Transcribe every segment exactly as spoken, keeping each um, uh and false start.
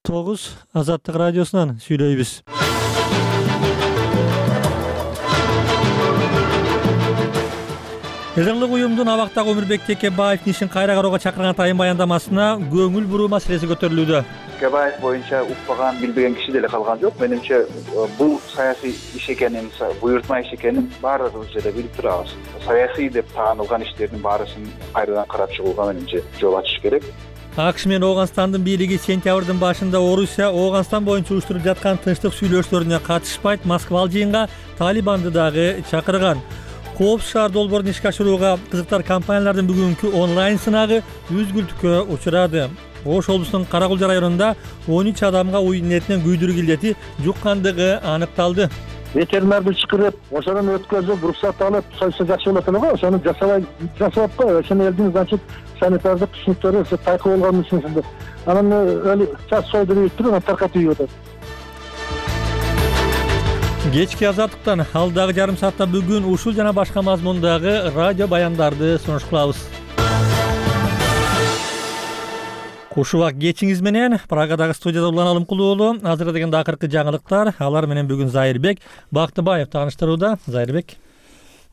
тогуз Азаттык радиосунан сүйлөйбүз. Эдерлик уюмдун абактагы Өмүрбек Текебаевдин ишин кайра кароого чакырган тайын баяндамасына көңүл буруу маселеси көтөрүлүүдө. Текебаев боюнча укпаган, билбеген киши деле калган жок. Менимче бул саясий иш экенин, буйртма иш экенин баарыбыз эле билип турабыз. Саясий деп таанылган иштердин баарысын кайрадан карап чыгууга менимче жол ачыш керек. АКШ менен Ооганстандын бийлиги сентябрдын башында Орусия Ооганстан боюнча уюштуруп жаткан тынчтык сүйлөшүүлөрүнө катышпайт, Москвалык жыйынга Талибанды дагы чакырган. Коопсуз шаар долбоорун ишке ашырууга кызыктар компаниялардын бүгүнкү онлайн сынагы үзгүлтүккө учурады. Ош облусунун Каракулча районунда он үч адамга уюн инетинен күйдүрүк илдети жуккандыгы аныкталды. Ветеринарды чакырып, ошонун өткөзүп, уруксат алып, сойса жакшы болот эле го, ошону жасабай жасап кой. Ошону элдин значит санитардык түшүнүктөрү тайкы болгон үчүн анан өлү час сойдуруп туруп, таркатып ийип атат. Кечки Азаттыктан алдагы жарым саатта бүгүн ушул жана башка мазмундагы радио баяндарды сунуш кылабыз. Кушубак кечиңиз менен Прагадагы студияда Улан Алымкулуу уулу. Азыр дегенде акыркы жаңылыктар, алар менен бүгүн Зайырбек Бактыбаев тааныштырууда. Зайырбек.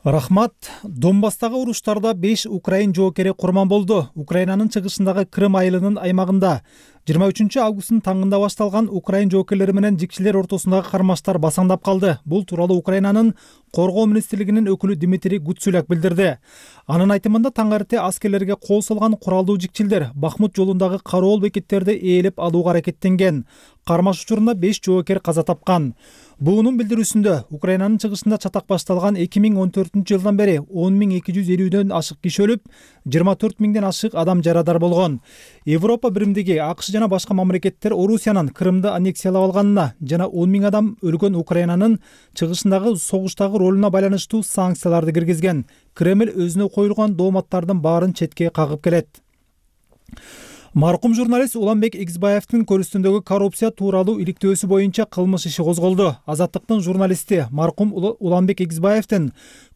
Рахмат. Донбасстагы уруштарда беш украин жоокери курман болду. Украинанын чыгышындагы Крым айылынын аймагында жыйырма үчүнчү августтун таңында башталган украин жоокерлери менен жикчилер ортосундагы кармаштар басаңдап калды. Бул тууралуу Украинанын коргоо министрлигинин өкүлү Дмитрий Гуцуляк билдирди. Анын айтымында таңерте аскерлерге кол салган куралдуу жикчилдер Бахмут жолундагы кароол бекеттерди ээлеп алууга аракеттенген. Кармаш учурунда беш жоокер каза тапкан. Буунун билдирүүсүндө Украинанын чыгышында чатак башталган эки миң он төртүнчү жылдан бери он миң эки жүз элүүдөн ашык киши өлүп, жыйырма төрт миңден ашык адам жарадар болгон. Европа биримдиги, АКШ жана башка мамлекеттер Орусиянын Крымды аннексиялап алганына жана он миң адам өлгөн Украинанын чыгышындагы согуштагы ролуна байланыштуу санкцияларды киргизген. Кремль өзүнө коюлган дооматтардын баарын четке кагып келет. Маркум журналист Уланбек Эксбаевдин көрүстүндөгү коррупция тууралуу иликтөөсү боюнча кылмыш иши козголду. Азаттыктын журналисти маркум Уланбек Эксбаевдин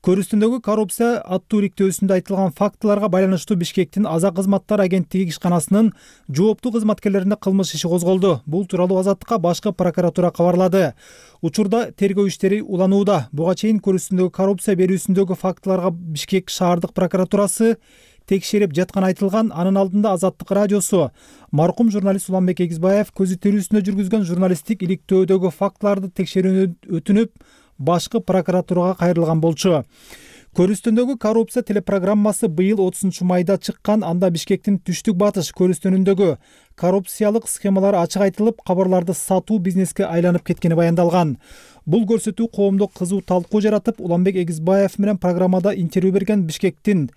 көрүстүндөгү коррупция аттуу иликтөөсүндө айтылган фактыларга байланыштуу Бишкектин Аза кызматтар агенттиги ишканасынын жооптуу кызматкерлерине кылмыш иши козголду. Бул тууралуу Азаттыкка башкы прокуратура кабарлады. Учурда тергөө иштери уланууда. Буга чейин көрүстүндөгү коррупция берүүсүндөгү фактыларга Бишкек шаардык прокуратурасы текшерип жаткан айтылган. Анын алдында Азаттык радиосу маркум журналист Уланбек Эксбаев көзү тирүүсүндө жүргүзгөн журналисттик иликтөөдөгү фактыларды текшерүүнү өтүнүп, башкы прокуратурага кайрылган болчу. Көрүстүндөгү коррупция телепрограммасы быйыл отузунчу майда чыккан. Анда Бишкектин түштүк батыш көрүстүнүндөгү коррупциялык схемалар ачык айтылып, кабарларды сатуу бизнеске айланып кеткени баяндалган. Бул көрсөтүү коомдо кызуу талкуу жаратып, Уланбек Эксбаев менен программада интервью берген Бишкектин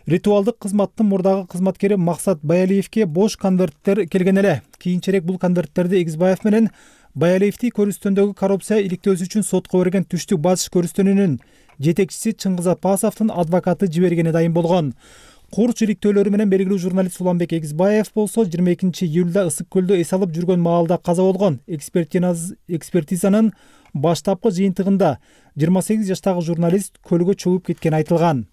ритуалдык кызматтын мурдагы кызматкери Максат Баялиевке бош конверттер келген эле. Кийинчерээк бул конверттерди Эксбаев менен Баялиевди көрүстөндөгү коррупция иликтөөсү үчүн сотко берген түштүк батыш көрүстөнүнүн жетекчиси Чыңгыз Апасовдун адвокаты жибергени дайым болгон. Курч иликтөөлөрү менен белгилүү журналист Уланбек Эксбаев болсо жыйырма экинчи июлда Ысык көлдө эс алып жүргөн маалда каза болгон. Экспертизанын баштапкы жыйынтыгында жыйырма сегиз жаштагы журналист көлгө чөгүп кеткени айтылган.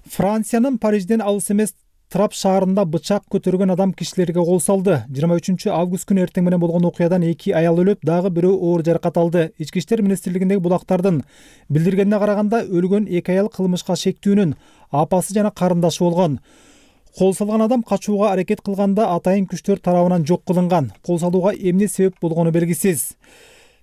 Франциянын Парижден алыс эмес Трап шаарында бычак көтөргөн адам кишилерге кол салды. жыйырма үчүнчү август күнү эртең менен болгон окуядан эки аял өлүп, дагы бирөө оор жаракат алды. Ички иштер министрлигиндеги булактардын билдиргенине караганда, өлгөн эки аял кылмышка шектүүнүн апасы жана карындашы болгон. Кол салган адам качууга аракет кылганда атайын күчтөр тарабынан жок кылынган. Кол салууга эмне себеп болгону белгисиз.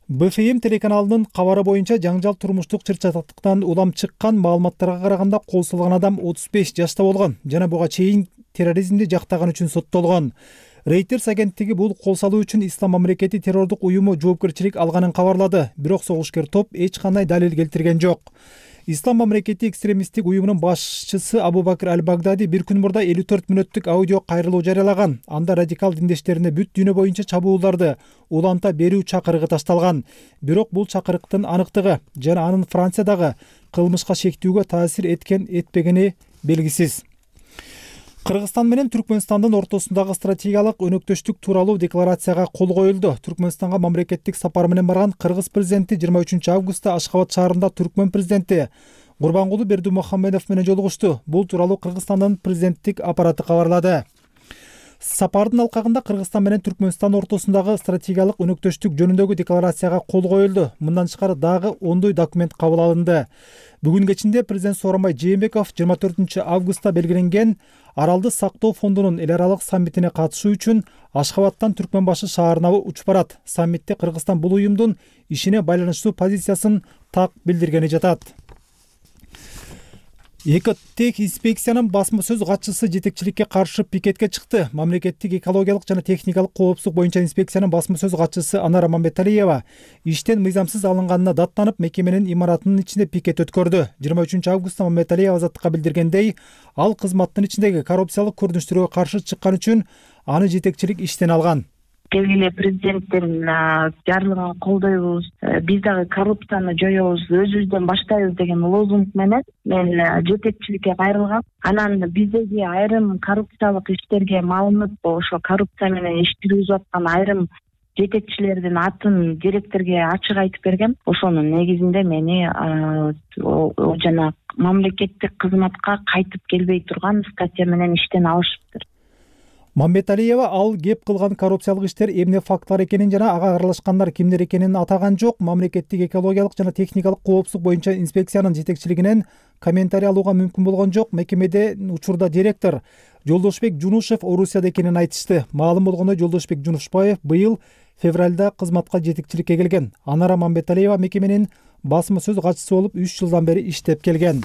Б Ф М телеканалынын кабары боюнча жаңжал турмуштук чырчатыктан улам чыккан. Маалыматтарга караганда кол салган адам отуз беш жашта болгон жана буга чейин терроризмди жактаган үчүн соттолгон. Reuters агенттиги бул кол салуу үчүн Ислам мамлекети террордук уюму жоопкерчилик алганын кабарлады. Бирок согушкер топ эч кандай далил келтирген жок. Ислам мамлекети экстремисттик уюмунун башчысы Абу Бакр аль-Багдади бир күн мурда элүү төрт мүнөттүк аудио кайрылуу жарыялаган. Анда радикал диндештерине бүт дүйнө боюнча чабууларды уланта берүү чакырыгы ташталган. Бирок бул чакырыктын аныктыгы жана анын Франциядагы кылмышка шектүүгө таасир эткен этпегени белгисиз. Кыргызстан менен Түркмөнстандын ортосундагы стратегиялык өнөктөштүк тууралуу декларацияга кол коюлду. Түркмөнстанга мамлекеттик сапар менен барган Кыргыз президенти жыйырма үчүнчү августта Ашхабад шаарында Түркмөн президенти Гурбангулы Бердимухамедов менен жолугушту. Бул тууралуу Кыргызстандын президенттик аппараты кабарлады. Сапардын алкагында Кыргызстан менен Түркмөнстан ортосундагы стратегиялык өнөктөштүк жөнүндөгү декларацияга кол коюлду. Мындан тышкары дагы ондой документ кабыл алынды. Бүгүн кечинде президент Сооронбай Жээнбеков жыйырма төртүнчү августта белгиленген Аралды сактоо фондунун эл аралык саммитине катышуу үчүн Ашхабадтан Түркмөнбашы шаарына учуп барат. Саммитте Кыргызстан бул уюмдун ишине байланыштуу позициясын так билдиргени жатат. Экотех инспекциянын басма сөз катчысы жетекчиликке каршы пикетке чыкты. Мамлекеттик экологиялык жана техникалык коопсуздук боюнча инспекциянын басма сөз катчысы Анара Мамбеталиева иштен мыйзамсыз алынганына даттанып, мекеменин имаратынын ичинде пикет өткөрдү. жыйырма үчүнчү августта Мамбеталиева азаттыкка билдиргендей, ал кызматтын ичиндеги коррупциялык көрүнүштөргө каршы чыккан үчүн аны жетекчилик иштен алган. Келгиле президенттин жарлыгын колдойбуз, биз дагы коррупцияны жоёбуз, өзүбүздөн баштайбыз деген лозунг менен мен жетекчиликке кайрылгам. Анан биздеги айрым коррупциялык иштерге малынып, ошо коррупция менен иш жүргүзүп аткан айрым жетекчилердин атын директорге ачык айтып бергем. Ошонун негизинде мени жана мамлекеттик кызматка кайтып келбей турган статья менен иштен алышыптыр. Мамбеталиева ал кеп кылган коррупциялык иштер эмне фактлар экенин жана ага аралашкандар кимдер экенин атаган жок. Мамлекеттик экологиялык жана техникалык коопсуздук боюнча инспекциянын жетекчилигинен комментарий алууга мүмкүн болгон жок. Мекемеде учурда директор Жолдошбек Жунушев Орусияда экенин айтышты. Маалым болгондой, Жолдошбек Жунушбаев быйыл февралда кызматка жетекчиликке келген. Анара Мамбеталиева мекеменин басма сөз катчысы болуп үч жылдан бери иштеп келген.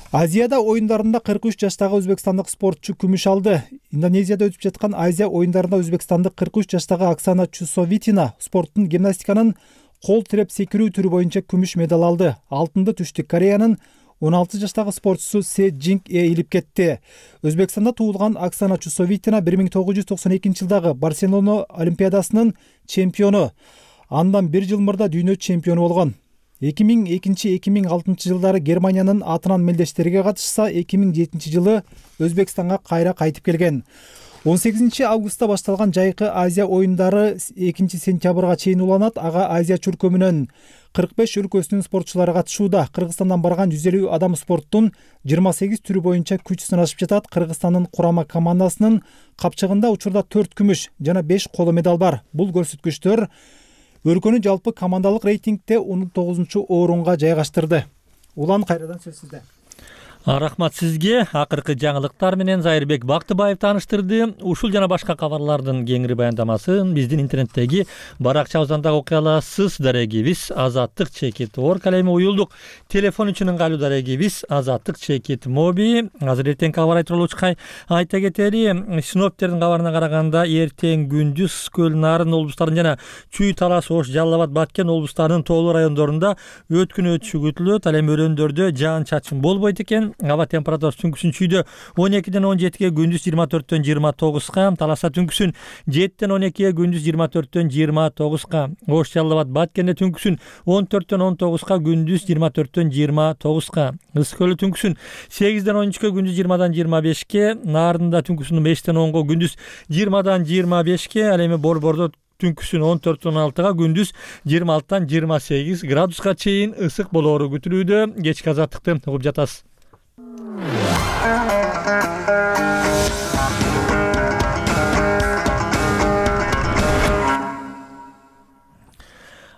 Азияда оюндарында кырк үч жаштагы өзбекстандык спортчу күмүш алды. Индонезияда өтүп жаткан Азия оюндарында өзбекстандык кырк үч жаштагы Оксана Чусовитина спорттун гимнастиканын кол тиреп секирүү түрү боюнча күмүш медаль алды. Алтынды Түштүк Кореянын он алты жаштагы спортчусу Се Джинг Э илип кетти. Өзбекстанда туулган Оксана Чусовитина бир миң тогуз жүз токсон экинчи жылдагы Барселона олимпиадасынын чемпиону. Андан бир жыл мурда дүйнө чемпиону болгон. эки миң экинчи эки миң алтынчы жылдары Германиянын атынан мелдештерге катышса, эки миң жетинчи жылы Өзбекстанга кайра кайтып келген. он сегизинчи августта башталган жайкы Азия оюндары экинчи сентябрга чейин уланат. Ага Азия чуркөмүнүн кырк беш өлкөсүнүн спортчулары катышууда. Кыргызстандан барган жүз элүү адам спорттун жыйырма сегиз түрү боюнча күч сынашып жатат. Кыргызстандын курама командасынын капчыгында учурда төрт күмүш жана беш коло медаль бар. Бул көрсөткүчтөр өлкөнү жалпы командалык рейтингде он тогузунчу орунга жайгаштырды. Улан, кайрадан сөз сизде. Рахмат сизге. Акыркы жаңылыктар менен Зайырбек Бактыбаев тааныштырды. Ушул жана башка кабарлардын кеңири баяндамасын биздин интернеттеги баракчабыздан дагы окуй аласыз. Дарегибиз азаттык чекит орг калеми уюлдук. Телефон үчүн ыңгайлуу дарегибиз азаттык чекит моби. Азыр эртең кабар айтып болчукай айта кетели. Синоптиктердин кабарына караганда эртең күндүз Көл Нарын облустарынын жана Чүй, Талас, Ош, Жалал Абад, Баткен облустарынын тоолуу райондорунда өткүн өтүшү күтүлөт. Ал эми өрөөндөрдө жаан чачын болбойт экен. Аба температурасы түнкүсүн Чүйдө он экиден он жетиге, күндүз жыйырма төрттөн жыйырма тогузга, Таласа түнкүсүн жетиден он экиге, күндүз жыйырма төрттөн жыйырма тогузга, Ош, Жалал Абад, Баткенде түнкүсүн он төрттөн он тогузга, күндүз жыйырма төрттөн жыйырма тогузга, Ысык көлү түнкүсүн сегизден он үчкө, күндүз жыйырмадан жыйырма бешке, Нарында түнкүсүн бештен онго, күндүз жыйырмадан жыйырма бешке, ал эми Борбордо түнкүсүн он төрттөн он алтыга, күндүз жыйырма алтыдан жыйырма сегиз градуска чейин ысык болоору күтүлүүдө. Кечки азаттыкты угуп жатасыз.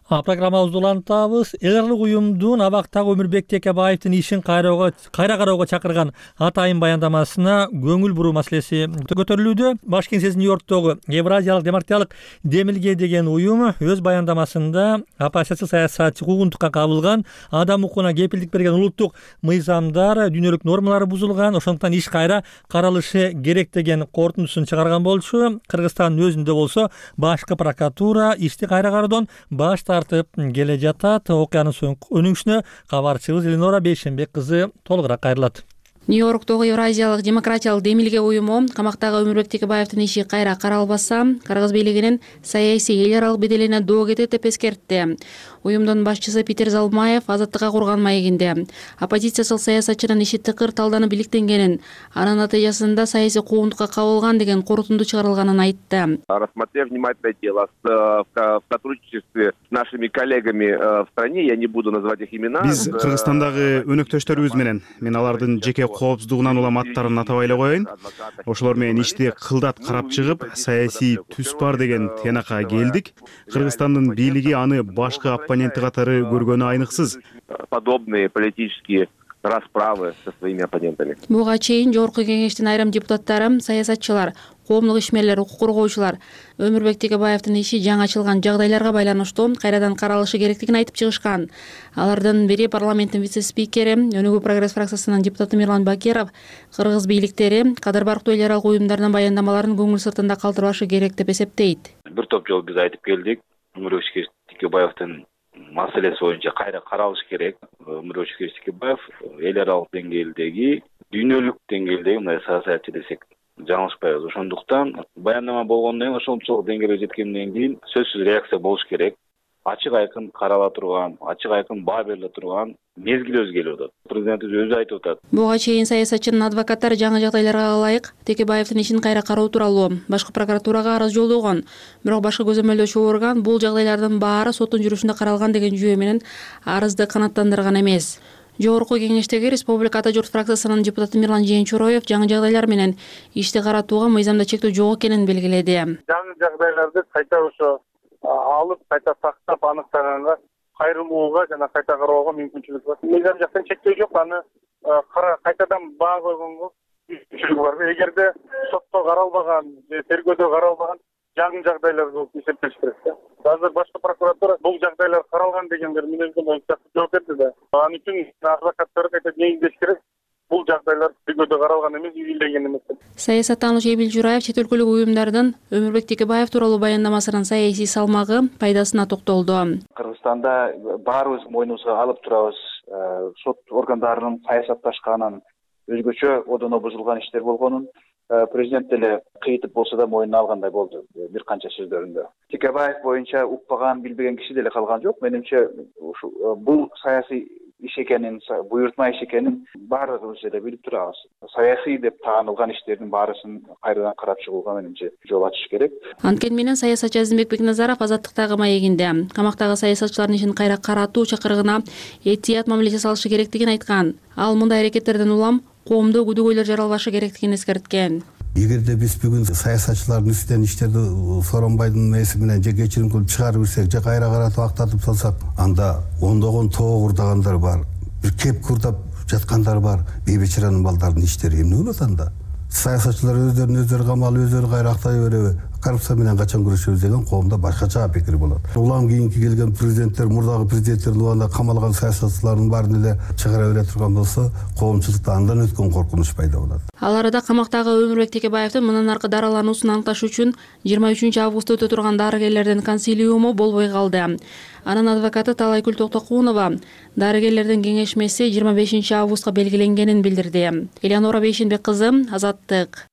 Программабызды улантабыз. Эл аралык уюмдун абактагы Өмүрбек Текебаевдин ишин кайра кароого чакырган атайын баяндамасына көңүл буруу маселеси көтөрүлүүдө. Баш кеңсеси Нью-Йорктогу Евразиялык демократиялык демилге деген уюм өз баяндамасында оппозициялык саясатчы куугунтукка кабылган, адам укугуна кепилдик берген улуттук мыйзамдар, дүйнөлүк нормалары бузулган, ошондуктан иш кайра каралышы керек деген корутундусун чыгарган болчу. Кыргызстандын өзүндө болсо башкы прокуратура ишти кайра кароодон баш тартып келе жатат. Окуянын соңку өнүгүшүнө кабарчыбыз Эленора Бейшенбек кызы толугураак кайрылат. Нью-Йорктогу Евразиялык демократиялык демилге уюму камактагы Өмүрбек Текебаевдин иши кайра каралбаса, Кыргыз бийлигинин саясий эл аралык беделине доо кетет деп эскертти. Уюмдун башчысы Питер Залмаев азаттыкка курган маегинде оппозициялык саясатчынын иши тыкыр талданып иликтенгенин, анын натыйжасында саясий куугунтукка кабылган деген корутунду чыгарылганын айтты. Рассмотрев внимательное дело в сотрудничестве с нашими коллегами в стране, я не буду называть их имена. Биз Кыргызстандагы өнөктөштөрүбүз менен, мен алардын жеке коопсуздугунан улам аттарын атабай эле коеюн. Ошолор менен ишти кылдат карап чыгып, саясий түс бар деген тыянакка келдик. Кыргызстандын бийлиги аны башкы оппоненти катары көргөнү айныксыз. Подобные политические расправы со своими оппонентами. Буга чейин Жогорку Кеңештин айрым депутаттары, саясатчылар, коомдук ишмерлер, укук коргоочулар Өмүрбек Текебаевдин иши жаңы ачылган жагдайларга байланыштуу кайрадан каралышы керектигин айтып чыгышкан. Алардын бири парламенттин вице-спикери, Өнүгүү прогресс фракциясынын депутаты Мирлан Бакиров кыргыз бийликтери кадыр барктуу эл аралык уюмдардын баяндамаларын көңүл сыртында калтырбашы керек деп эсептейт. Бир топ жолу биз айтып келдик. Өмүрбек Текебаевдин маселеси боюнча кайра каралыш керек. Өмүрбек Текебаев эл аралык деңгээлдеги, дүйнөлүк деңгээлдеги мындай саясатчы десек жаңылышпайбыз. Ошондуктан баяндама болгондон кийин, ошончолук деңгээлге жеткенден кийин сөзсүз реакция болуш керек. Ачык айкын карала турган, ачык айкын баа бериле турган мезгил өзү келип атат. Президентибиз өзү айтып атат. Буга чейин саясатчынын адвокаттары жаңы жагдайларга ылайык Текебаевдин ишин кайра кароо тууралуу башкы прокуратурага арыз жолдогон. Бирок башкы көзөмөлдөөчү орган бул жагдайлардын баары соттун жүрүшүндө каралган деген жүйө менен арызды канааттандырган эмес. Жогорку Кеңештеги Республика Ата журт фракциясынын депутаты Мирлан Жээнчуроев жаңы жагдайлар менен ишти каратууга мыйзамда чектөө жок экенин белгиледи. Жаңы жагдайларды кайта ошо алып, кайта сактап аныктаганга кайрылууга жана кайта кароого мүмкүнчүлүк бар. Мыйзам жактан чектөө жок, аны кайтадан баа койгонго мүмкүнчүлүк бар. Эгерде сотто каралбаган, тергөөдө каралбаган жаңы жагдайлар болуп эсептелиш керек. Азыр башкы прокуратура бул жагдайлар каралган дегендер мүнөздөмө боюнча жооп берди да. Ал үчүн адвокаттар кайта негиздеш керек. Бул жагдайлар тергөөдө каралган эмес, ийилдеген эмес. Саясаттануучу Эмил Жураев чет өлкөлүк уюмдардын Өмүрбек Текебаев тууралуу баяндамасынын саясий салмагы, пайдасына токтолду. Кыргызстанда баарыбыз мойнубузга алып турабыз. Сот органдарынын саясатташканын, өзгөчө одоно бузулган иштер болгонун президент деле кыйтып болсо да мойнуна алгандай болду бир канча сөздөрүндө. Текебаев боюнча укпаган, билбеген киши деле калган жок. Менимче бул саясий иш экенин, буйртма иш экенин баардыгыбыз эле билип турабыз. Саясий деп таанылган иштердин баарысын кайрадан карап чыгууга менимче жол ачыш керек. Анткени менен саясатчы Азимбек Бекназаров Азаттыктагы маегинде камактагы саясатчылардын ишин кайра каратуу чакырыгына этият мамиле жасалышы керектигин айткан. Ал мындай аракеттерден улам коомдо күдүгөйлөр жаралбашы керектигин эскерткен. Эгерде биз бүгүн саясатчылардын үстүнөн иштерди Сооронбайдын эси менен же кечирим кылып чыгарып берсек, же кайра каратып актатып салсак, анда ондогон тоо курдагандар бар, бир кеп курдап жаткандар бар. Бейбечаранын балдарынын иштери эмне болот анда? Саясатчылар өздөрүн өздөрү камалып, өздөрү кайра актай береби? Коррупция менен качан күрөшөбүз деген коомдо башкача пикир болот. Улам кийинки келген президенттер, мурдагы президенттердин убагында камалган саясатчылардын баарын эле чыгара бере турган болсо, коомчулукта андан өткөн коркунуч пайда болот. Ал арада камактагы Өмүрбек Текебаевдин мындан аркы даралануусун аныкташ үчүн жыйырма үчүнчү августта өтө турган дарыгерлердин консилиуму болбой калды. Анын адвокаты Талайкүл Токтокунова дарыгерлердин кеңешмеси жыйырма бешинчи августка белгиленгенин билдирди. Элеонора Бейшенбек кызы, Азаттык.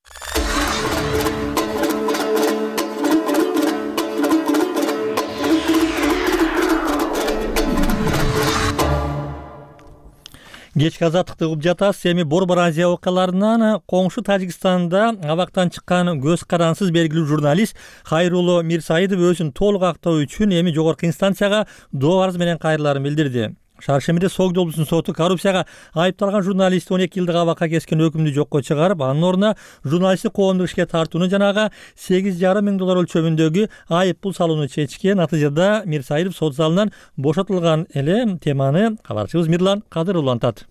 Кечки Азаттыкты угуп жатасыз. Эми Борбор Азия окуяларынан коңшу Тажикстанда абактан чыккан көз карансыз белгилүү журналист Хайрулло Мирсаидов өзүн толук актоо үчүн эми жогорку инстанцияга доо арыз менен кайрыларын билдирди. Шаар шемирде Согд облусунун соту коррупцияга айыпталган журналистти он эки жылдык абакка кескен өкүмдү жокко чыгарып, анын ордуна журналистти коомдук ишке тартууну жанагы сегиз жарым миң доллар өлчөмүндөгү айып пул салууну чечкен. Натыйжада Мирсаидов сот залынан бошотулган эле. Теманы кабарчыбыз Мирлан Кадыр улантат.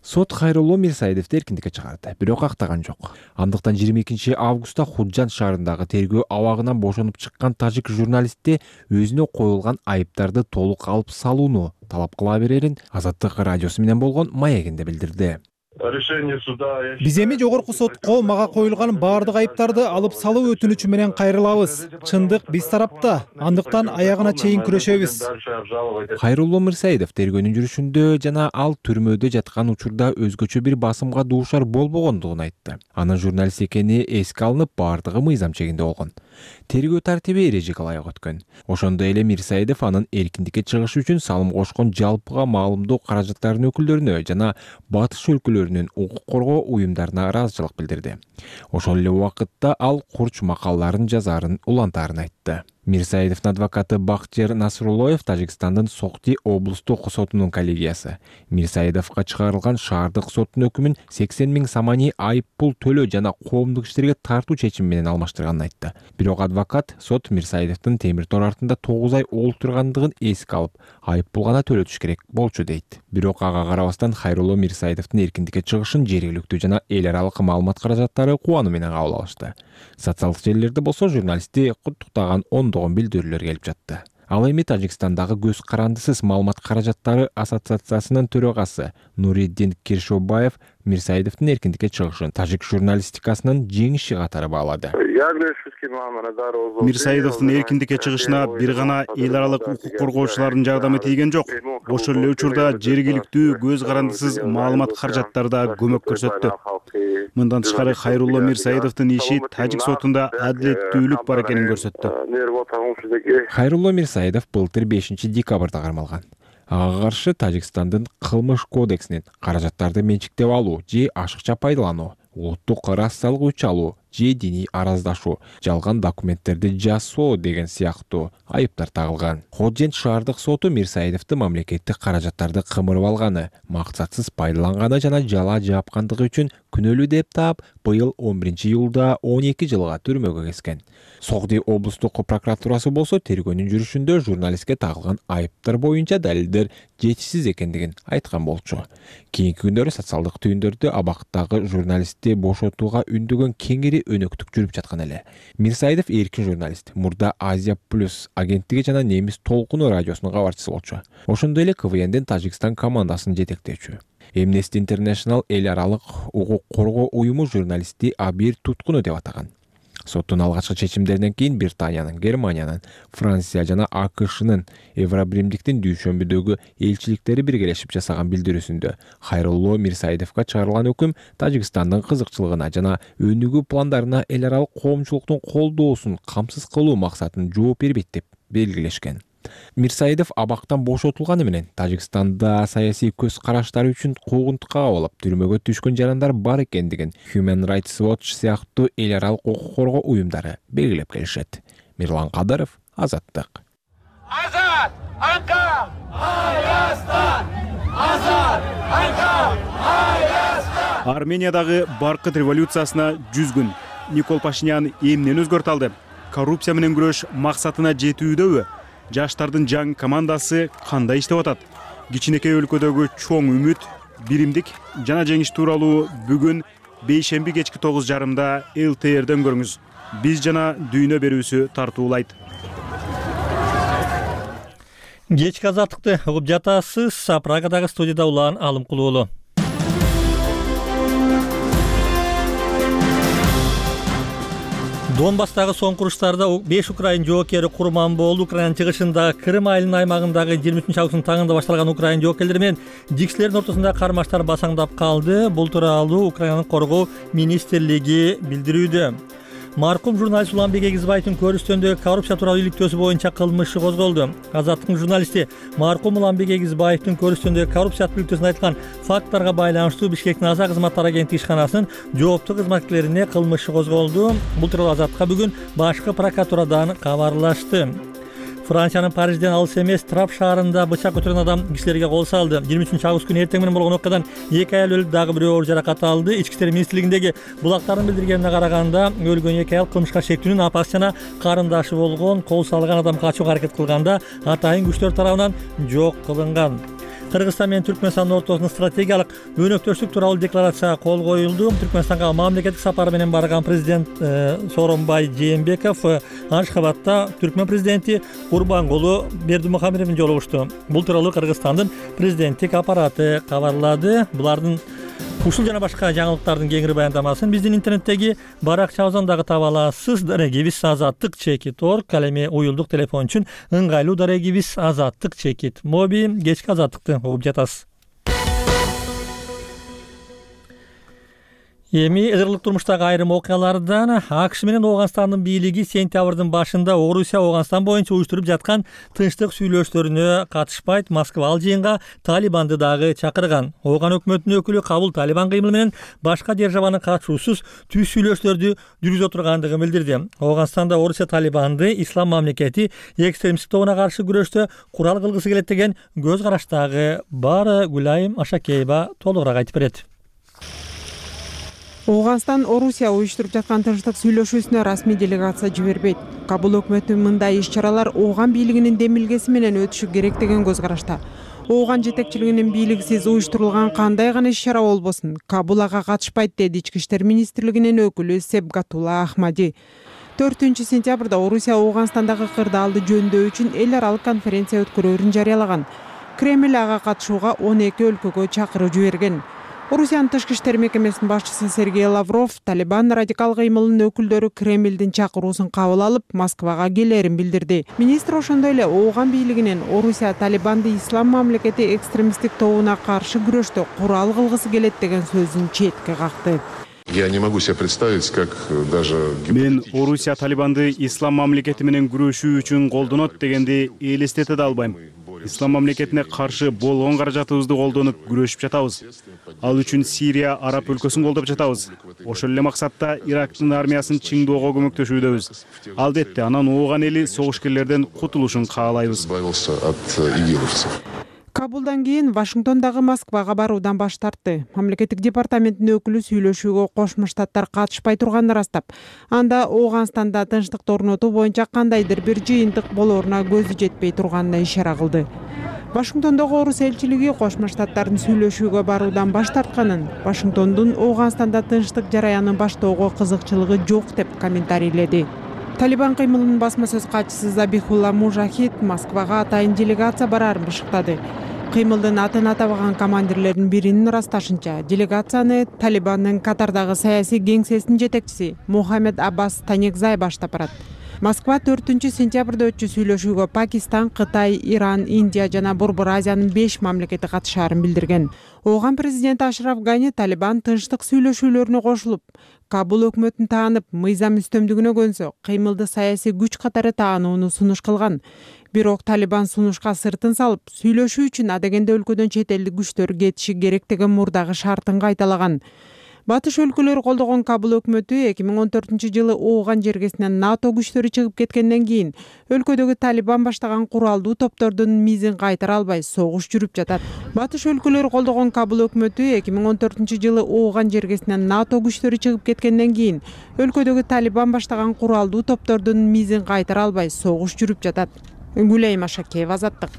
Сот Хайрулло Мирсаидовду эркиндикке чыгарды, бирок актаган жок. Андыктан жыйырма экинчи августта Худжан шаарындагы тергөө абагынан бошонуп чыккан тажик журналистти өзүнө коюлган айыптарды толук алып салууну талап кыла берерин Азаттык радиосу менен болгон маегинде билдирди. Биз эми жогорку сотко мага коюлган баардык айыптарды алып салуу өтүнүчү менен кайрылабыз. Чындык биз тарапта, андыктан аягына чейин күрөшөбүз. Хайрулло Мирсаидов тергөөнүн жүрүшүндө жана ал түрмөдө жаткан учурда өзгөчө бир басымга дуушар болбогондугун айтты. Анын журналист экени эске алынып, баардыгы мыйзам чегинде болгон. Тергөө тартиби эрежеге ылайык өткөн. Ошондой эле Мирсаидов анын эркиндикке чыгышы үчүн салым кошкон жалпыга маалымдоо каражаттарынын өкүлдөрүнө жана батыш өлкөлөрүнүн укук коргоо уюмдарына ыраазычылык билдирди. Ошол эле убакытта ал курч макалаларын жазаарын улантаарын айтты. Мирсаидовдун адвокаты Бактияр Насруллоев Тажикстандын Сокти облустук сотунун коллегиясы Мирсаидовго чыгарылган шаардык соттун өкүмүн сексен миң самани айып пул төлөө жана коомдук иштерге тартуу чечими менен алмаштырганын айтты. Бирок адвокат сот Мирсаидовдун темир тор артында тогуз ай олтургандыгын эске алып, айып пул гана төлөтүш керек болчу дейт. Бирок ага карабастан Хайрулло Мирсаидовдун эркиндикке чыгышын жергиликтүү жана эл аралык маалымат каражаттары кубануу менен кабыл алышты. Социалдык желилерде болсо журналистти куттуктаган ондогон билдирүүлөр келип жатты. Ал эми Тажикстандагы көз карандысыз маалымат каражаттары ассоциациясынын төрагасы Нуриддин Киршобаев Мирсаидовдун эркиндикке чыгышын тажик журналистикасынын жеңиши катары баалады. Мирсаидовдун эркиндикке чыгышына бир гана эл аралык укук коргоочулардын жардамы тийген жок. Ошол эле учурда жергиликтүү көз карандысыз маалымат каражаттары да көмөк көрсөттү. Мындан тышкары Хайрулло Мирсаидовдун иши тажик сотунда адилеттүүлүк бар экенин көрсөттү. Хайрулло Мирсаидов былтыр бешинчи декабрда кармалган. Ага каршы Тажикстандын кылмыш кодексинин каражаттарды менчиктеп алуу же ашыкча пайдалануу, улуттук рассалык өч алуу же диний араздашуу, жалган документтерди жасоо деген сыяктуу айыптар тагылган. Ходжент шаардык соту Мирсаидовду мамлекеттик каражаттарды кымырып алганы, максатсыз пайдаланганы жана жала жапкандыгы үчүн күнөөлүү деп таап, быйыл он биринчи июлда он эки жылга түрмөгө кескен. Согди облустук прокуратурасы болсо тергөөнүн жүрүшүндө журналистке тагылган айыптар боюнча далилдер жетишсиз экендигин айткан болчу. Кийинки күндөрү социалдык түйүндөрдө абактагы журналистти бошотууга үндөгөн кеңири өнөктүк жүрүп жаткан эле. Мирсаидов эркин журналист, мурда Азия плюс агенттиги жана Немис толкуну радиосунун кабарчысы болчу. Ошондой эле КВНдин Тажикстан командасын жетектөөчү. Amnesty International эл аралык укук коргоо уюму журналистти Абир Туткуну деп атаган. Соттун алгачкы чечимдеринен кийин Британиянын, Германиянын, Франция жана АКШнын Евробиримдиктин дүйшөмбүдөгү элчиликтери биргелешип жасаган билдирүүсүндө Хайрулло Мирсаидовго чыгарылган өкүм Тажикстандын кызыкчылыгына жана өнүгүү пландарына эл аралык коомчулуктун колдоосун камсыз кылуу максатын жооп бербейт деп белгилешкен. Мирсаидов абактан бошотулганы менен Тажикстанда саясий көз караштары үчүн куугунтукка кабылып, түрмөгө түшкөн жарандар бар экендигин Human Rights Watch сыяктуу эл аралык укук коргоо уюмдары белгилеп келишет. Мирлан Кадыров, Азаттык. Азат! Анка! Hayastan! Азат! Анка! Hayastan! Армениядагы баркыт революциясына жүз күн. Никол Пашинян эмнени өзгөртө алды? Коррупция менен күрөш максатына жетүүдөбү? Жаштардын жаң командасы кандай иштеп атат? Кичинекей өлкөдөгү чоң үмүт, биримдик жана жеңиш тууралуу бүгүн бейшемби кечки тогуз жарымда эл тэ эрден көрүңүз. Биз жана дүйнө берүүсү тартуулайт. Кечки азаттыкты угуп жатасыз. Прагадагы студияда Улан Алымкулуулу. Донбасстагы соңку уруштарда беш украин жоокери курман болду. Украинанын чыгышындагы Крым айылынын аймагындагы жыйырма үчүнчү августтун таңында башталган украин жоокерлери менен жиксилердин ортосунда кармаштар басаңдап калды. Бул тууралуу Украинанын коргоо министрлиги билдирүүдө. Маркум журналист Уланбек Эгизбаевдин көрүстөндөгү коррупция тууралуу иликтөөсү боюнча кылмыш козголду. Азаттыктын журналисти Маркум Уланбек Эгизбаевдин көрүстөндөгү коррупция иликтөөсүнө айтылган факттарга байланыштуу Бишкектин аса кызматтар агенттиги ишканасынын жооптуу кызматкерлерине кылмыш козголду. Бул тууралуу Азаттыкка бүгүн башкы прокуратурадан кабарлашты. Франциянын Парижден алыс эмес Трап шаарында бычак көтөргөн адам кишилерге кол салды. жыйырма үчүнчү август күнү эртең менен болгон окуядан эки аял өлүп, дагы бирөө оор жаракат алды. Ички иштер министрлигиндеги булактардын билдиргенине караганда, өлгөн эки аял кылмышка шектүүнүн апасы жана карындашы болгон. Кол салган адам качууга аракет кылганда атайын күчтөр тарабынан жок кылынган. Кыргызстан менен Түркмөнстандын ортосунда стратегиялык өнөктөштүк тууралуу декларацияга кол коюлду. Түркмөнстанга мамлекеттик сапары менен барган президент Сооронбай Жээнбеков Ашхабадда Түркмөн президенти Курбангулу Бердимухамедов менен жолугушту. Бул тууралуу Кыргызстандын президенттик аппараты кабарлады. Булардын ушул жана башка жаңылыктардын кеңири баяндамасын биздин интернеттеги баракчабыздан дагы таба аласыз. Дарегибиз Азаттык чекит орг. Ал эми уюлдук телефон үчүн ыңгайлуу дарегибиз Азаттык чекит моби. Кечки Азаттыкты угуп жатасыз. Эми ызырлык турмуштагы айрым окуялардан АКШ менен Ооганстандын бийлиги сентябрдын башында Орусия Ооганстан боюнча уюштуруп жаткан тынчтык сүйлөшүүлөрүнө катышпайт, Москва ал жыйынга Талибанды дагы чакырган. Ооган өкмөтүнүн өкүлү Кабул Талибан кыймылы менен башка державанын катышуусуз түз сүйлөшүүлөрдү жүргүзө тургандыгын билдирди. Ооганстанда Орусия Талибанды ислам мамлекети экстремисттик тобуна каршы күрөштө курал кылгысы келет деген көз караштагы бар. Гүлайым Ашакеева толугураак айтып берет. Ооганстан Орусия уюштуруп жаткан тынчтык сүйлөшүүсүнө расмий делегация жибербейт. Кабул өкмөтүнүн мындай иш-чаралар Ооган бийлигинин демилгеси менен өтүшү керек деген көз карашта. Ооган жетекчилигинин бийлигисиз уюштурулган кандай гана иш-чара болбосун, Кабул ага катышпайт деди Ички иштер министрлигинин өкүлү Себгатулла Ахмади. төртүнчү сентябрда Орусия Ооганстандагы кырдаалды жөндөө үчүн эл аралык конференция өткөрөөрүн жарыялаган. Кремль ага катышууга он эки өлкөгө чакыруу жиберген. Орусиянын тышкы иштер мекемесинин башчысы Сергей Лавров Талибан радикал кыймылынын өкүлдөрү Кремлдин чакыруусун кабыл алып, Москвага келээрин билдирди. Министр ошондой эле Ооган бийлигинен Орусия Талибанды ислам мамлекети экстремисттик тобуна каршы күрөштө курал кылгысы келет деген сөзүн четке какты. Я не могу себе представить, как даже... Мен Орусия Талибанды ислам мамлекети менен күрөшүү үчүн колдонот дегенди элестете да албайм. Ислам мамлекетине каршы болгон каражатыбызды колдонуп күрөшүп жатабыз. Ал үчүн Сирия, Араб өлкөсүн колдоп жатабыз. Ошол эле максатта Ирактын армиясын чыңдоого көмөктөшүүдөбүз. Албетте, анан Ооган эли согушкерлерден кутулушун каалайбыз. Кабулдан кийин Вашингтондагы Москвага баруудан баш тартты. Мамлекеттик департаменттин өкүлү сүйлөшүүгө Кошмо Штаттар катышпай турганын ырастап, анда Ооганстанда тынчтыкты орнотуу боюнча кандайдыр бир жыйынтык болооруна көзү жетпей турганына ишара кылды. Вашингтондогу орус элчилиги Кошмо Штаттардын сүйлөшүүгө баруудан баш тартканын, Вашингтондун Ооганстанда тынчтык жараянын баштоого кызыкчылыгы жок деп комментарийледи. Талибан кыймылынын басма сөз катчысы Забихулла Мужахид Москвага атайын делегация барарын бышыктады. Кыймылдын атын атабаган командирлердин биринин ырасташынча, делегацияны Талибандын Катардагы саясий кеңсесинин жетекчиси Мухаммед Аббас Танекзай баштап барат. Москва төртүнчү сентябрда өтчү сүйлөшүүгө Пакистан, Кытай, Иран, Индия жана Борбор Азиянын беш мамлекети катышаарын билдирген. Ооган президенти Ашраф Гани Талибан тынчтык сүйлөшүүлөрүнө кошулуп, Кабул өкмөтүн таанып, мыйзам үстөмдүгүнө көнсө, кыймылды саясий күч катары таанууну сунуш кылган. Бирок Талибан сунушка сыртын салып, сүйлөшүү үчүн адегенде өлкөдөн чет элдик күчтөр кетиши керек деген мурдагы шартын кайталаган. Батыш өлкөлөрү колдогон Кабул өкмөтү эки миң он төртүнчү жылы Ооган жергесинен НАТО күчтөрү чыгып кеткенден кийин өлкөдөгү Талибан баштаган куралдуу топтордун мизин кайтара албай согуш жүрүп жатат. Батыш өлкөлөрү колдогон Кабул өкмөтү эки миң он төртүнчү жылы Ооган жергесинен НАТО күчтөрү чыгып кеткенден кийин өлкөдөгү Талибан баштаган куралдуу топтордун мизин кайтара албай согуш жүрүп жатат. Гүлайым Ашакеева, Азаттык.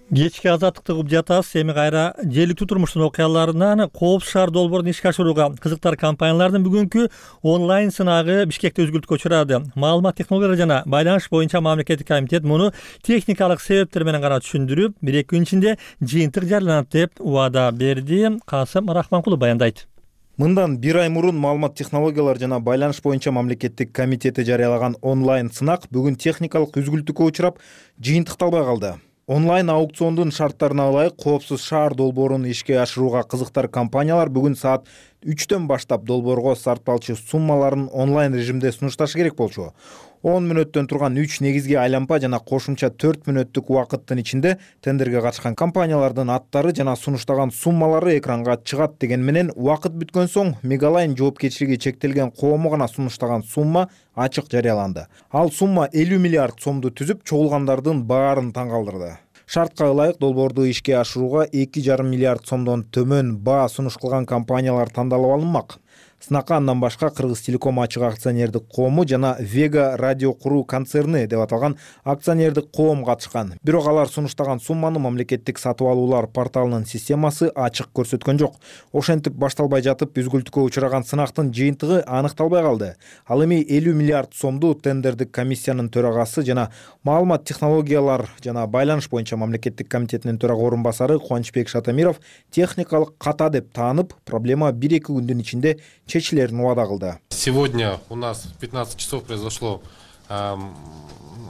Кечки азаттыкты угуп жатасыз. Эми кайра желиктүү турмуштун окуяларынан Коопсуз шаар долбоорун ишке ашырууга кызыктар компаниялардын бүгүнкү онлайн сынагы Бишкекте өзгүлтүккө учурады. Маалымат технологиялары жана байланыш боюнча мамлекеттик комитет муну техникалык себептер менен гана түшүндүрүп, бир эки күн ичинде жыйынтык жарыяланат деп убада берди. Касым Рахманкулов баяндайт. Мындан бир ай мурун маалымат технологиялары жана байланыш боюнча мамлекеттик комитети жарыялаган онлайн сынак бүгүн техникалык үзгүлтүккө учурап, жыйынтыкталбай калды. Онлайн аукциондун шарттарына ылайык Коопсуз шаар долбоорун ишке ашырууга кызыктар компаниялар бүгүн саат үчтөн баштап долбоорго сарпталчу суммаларын онлайн режимде сунушташы керек болчу. он мүнөттөн турган үч негизги айлампа жана кошумча төрт мүнөттүк убакыттын ичинде тендерге катышкан компаниялардын аттары жана сунуштаган суммалары экранга чыгат деген менен убакыт бүткөн соң Мегалайн жоопкерчилиги чектелген коому гана сунуштаган сумма ачык жарыяланды. Ал сумма элүү миллиард сомду түзүп, чогулгандардын баарын таң калтырды. Шартка ылайык долбоорду ишке ашырууга эки жарым миллиард сомдон төмөн баа сунуш кылган компаниялар тандалып алынмак. Сынакка андан башка Кыргыз Телеком ачык акционердик коому жана Вега радио куруу концерни деп аталган акционердик коом катышкан. Бирок алар сунуштаган сумманы мамлекеттик сатып алуулар порталынын системасы ачык көрсөткөн жок. Ошентип башталбай жатып үзгүлтүккө учураган сынактын жыйынтыгы аныкталбай калды. Ал эми элүү миллиард сомду тендердик комиссиянын төрагасы жана маалымат технологиялар жана байланыш боюнча мамлекеттик комитетинин төрага орун басары Кубанычбек Шатамиров техникалык ката деп таанып, проблема бир эки күндүн ичинде чечилерин убада кылды. Сегодня у нас в пятнадцать часов произошло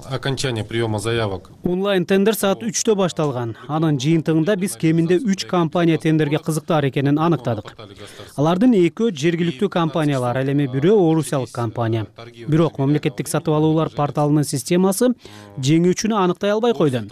окончание приема заявок. Онлайн тендер саат үчтө башталган. Анын жыйынтыгында биз кеминде үч компания тендерге кызыктар экенин аныктадык. Алардын экөө жергиликтүү компаниялар, ал эми бирөө орусиялык компания. Бирок мамлекеттик сатып алуулар порталынын системасы жеңүүчүнү аныктай албай койду.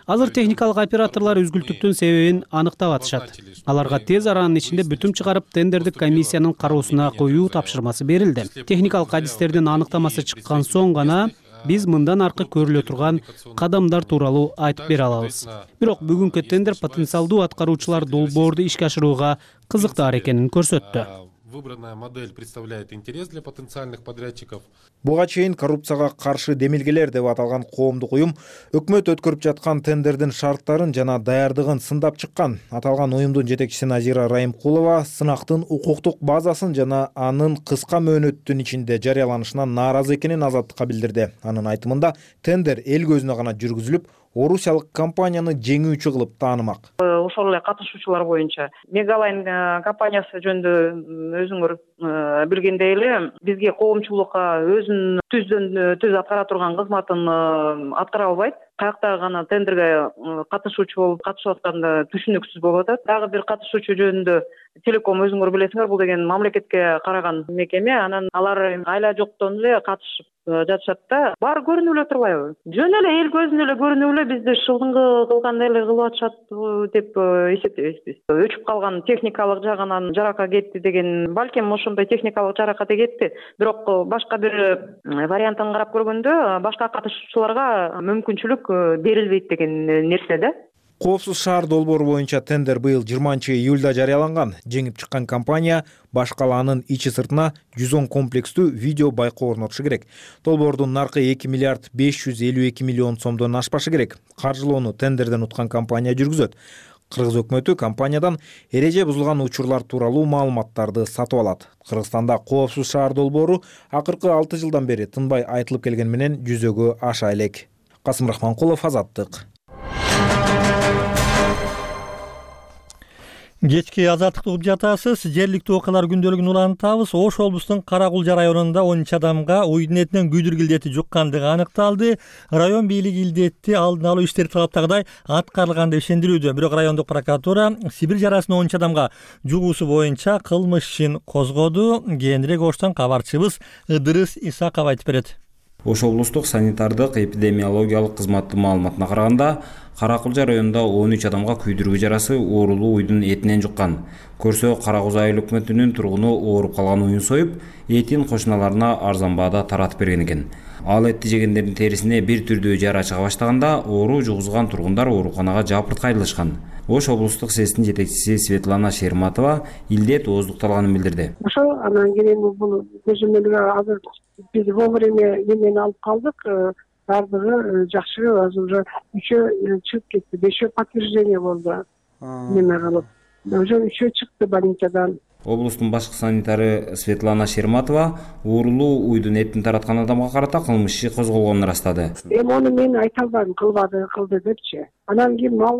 Азыр техникалык операторлор үзгүлтүктүн себебин аныктап атышат. Аларга тез аранын ичинде бүтүм чыгарып тендердик комиссиянын кароосуна коюу тапшырмасы берилди. Техникалык адистердин аныктамасы чыккан соң гана биз мындан аркы көрүлө турган кадамдар тууралуу айтып бере алабыз. Бирок бүгүнкү тендер потенциалдуу аткаруучулар долбоорду ишке ашырууга кызыктар экенин көрсөттү. Выбранная модель представляет интерес для потенциальных подрядчиков. Буга чейин коррупцияга каршы демилгелер деп аталган коомдук уюм өкмөт өткөрүп жаткан тендердин шарттарын жана даярдыгын сындап чыккан. Аталган уюмдун жетекчиси Назира Райымкулова сынактын укуктук базасын жана анын кыска мөөнөттүн ичинде жарыяланышынан нааразы экенин Азаттыкка билдирди. Анын айтымында тендер эл көзүнө гана жүргүзүлүп, орусиялык компанияны жеңүүчү кылып таанымак. Ошол эле катышуучулар боюнча Мегалайн компаниясы жөнүндө өзүңөр билгендей эле бизге коомчулукка өзүнүн түздөн түз аткара турган кызматын аткара албайт. Каяктагы гана тендерге катышуучу болуп катышып атканда түшүнүксүз болуп атат. Дагы бир катышуучу жөнүндө Телеком өзүңөр билесиңер, бул деген мамлекетке караган мекеме, анан алар айла жоктон эле катышып жатышат да. Баары көрүнүп эле турбайбы? Жөн эле эл көзүнө эле көрүнүп эле бизди шылдыңгы кылгандай эле кылып атышат деп эсептейбиз биз. Өчүп калган техникалык жагынан жарака кетти деген, балким ошондой техникалык жаракат кетти. Бирок башка бир вариантын карап көргөндө башка катышуучуларга мүмкүнчүлүк берилбейт деген нерсе да. Коопсуз шаар долбоору боюнча тендер быйыл жыйырманчы июлда жарыяланган. Жеңип чыккан компания баш калаанын ичи сыртына жүз он комплекстүү видео байкоо орнотушу керек. Долбоордун наркы эки миллиард беш жүз элүү эки миллион сомдон ашпашы керек. Каржылоону тендерден уткан компания жүргүзөт. Кыргыз өкмөтү компаниядан эреже бузулган учурлар тууралуу маалыматтарды сатып алат. Кыргызстанда коопсуз шаар долбоору акыркы алты жылдан бери тынбай айтылып келгени менен жүзөгө аша элек. Касым Рахманкулов, Азаттык. Кечки Азаттыкты угуп жатасыз. Жергиликтүү окуялар күндөлүгүн улантабыз. Ош облусунун Каракулжа районунда он үч адамга уйдун этинен күйдүргү илдети жуккандыгы аныкталды. Район бийлиги илдетти алдын алуу иштери талаптагыдай аткарылган деп ишендирүүдө. Бирок райондук прокуратура Сибир жарасын он үч адамга жугуусу боюнча кылмыш ишин козгоду. Кийинирээк Оштон кабарчыбыз Ыдырыс Исаков айтып берет. Ош облустук санитардык эпидемиологиялык кызматтын маалыматына караганда, Каракулжа районунда он үч адамга күйдүргү жарасы оорулуу уйдун этинен жуккан. Көрсө Каракуз айыл өкмөтүнүн тургуну ооруп калган уюн союп, этин кошуналарына арзан баада таратып берген экен. Ал этти жегендердин терисине бир түрдүү жара чыга баштаганда, оору жугузган тургундар ооруканага жапырт кайрылышкан. Ош облустук СЭСтин жетекчиси Светлана Шерматова илдет ооздукталганын билдирди. Ошо анан кийин бул көзөмөлгө азыр биз вовремя эмени алып калдык. Бардыгы жакшы, азыр уже үчөө чыгып кетти, бешөө подтверждение болду. Неме кылып, уже үчөө чыкты больницадан. Облустун башкы санитары Светлана Шерматова оорулуу уйдун этин тараткан адамга карата кылмыш иши козголгонун ырастады. Эми аны мен айта албайм, кылбады, кылды депчи. Анан кийин ал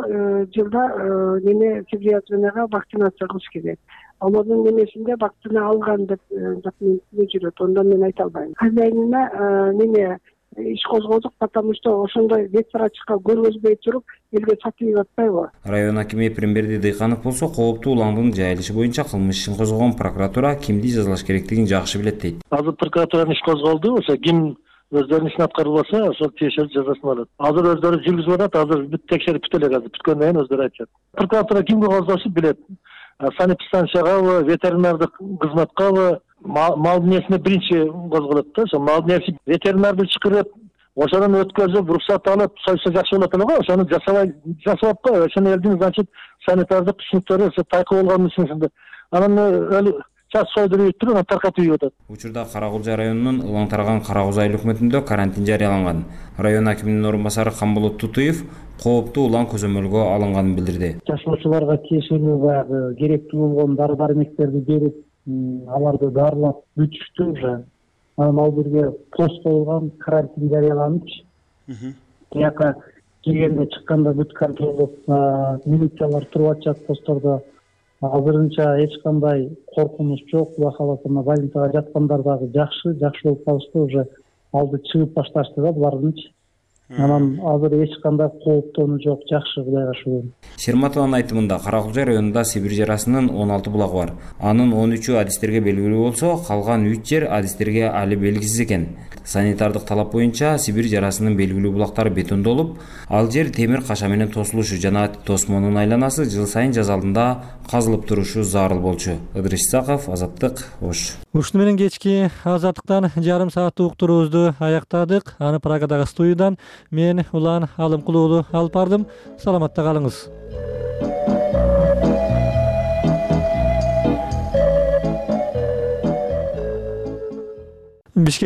жылда неме психиатрияга вакцинация кылыш керек. Алардын немесинде вакцина алган деп документте жүрөт. Ондан мен айта албайм. Хозяйнына неме иш козгодук, потому что ошондой бет врачка көргөзбөй туруп элге сатып атпайбы. Район акими Премберди Дыйканов болсо кооптуу уландын жайылышы боюнча кылмыш ишин козгогон прокуратура кимди жазалаш керектигин жакшы билет дейт. Азыр прокуратуранын иш козголду, ошо ким өздөрүнүн ишин аткарбаса, ошол тиешелүү жазасын алат. Азыр өздөрү жүргүзүп атат, азыр бүт текшерип бүт элек азыр. Бүткөндөн кийин өздөрү айтышат. Прокуратура кимге козгошун билет. Санэпидстанцияга, ветеринардык кызматкабы, мал несине биринчи козголот да. Ошо мал неси ветеринарды чакырып, ошонун өткөзүп, уруксат алып, сойсо жакшы болот эле го. Ошону жасабай, жасап атпайбы? Ошону элдин, значит, санитардык түшүнүктөрү тайкы болгон үчүн. Анан өлү час сойдуруп туруп, анан таркатып ийип атат. Учурда Каракулжа районунун Улан Тарган Каракуз айыл өкмөтүндө карантин жарыяланган. Район акиминин орун басары Камболот Тутуев кооптуу улан көзөмөлгө алынганын билдирди. Жашоочуларга тиешелүү баягы керектүү болгон дары-дармектерди берип, аларды дарылап бүтүштү уже. Анан ал жерге пост коюлган, карантин жарыяланып, тияка киргенде чыкканда бүт контролдоп, милициялар туруп атышат посттордо. Азырынча эч кандай коркунуч жок. Кудай кааласа, больницага жаткандар дагы жакшы, жакшы болуп калышты уже. алды чыгып башташты да булардынчы. Анан азыр эч кандай кооптонуу жок, жакшы, Кудайга шүгүр. Шерматованын айтымында Каракулча районунда Сибирь жарасынын он алты булагы бар. Анын он үчү адистерге белгилүү болсо, калган үч жер адистерге али белгисиз экен. Санитардык талап боюнча Сибирь жарасынын белгилүү булактары бетондолуп, ал жер темир каша менен тосулушу жана тосмонун айланасы жыл сайын жаз алдында казылып турушу зарыл болчу. Ыдырыс Исаков, Азаттык, Ош. Ушуну менен кечки Азаттыктан жарым сааттык уктуруубузду аяктадык. Аны Прагадагы студиядан мен Улан Алымкулуулу алып бардым. Саламатта калыңыз. Бишкекте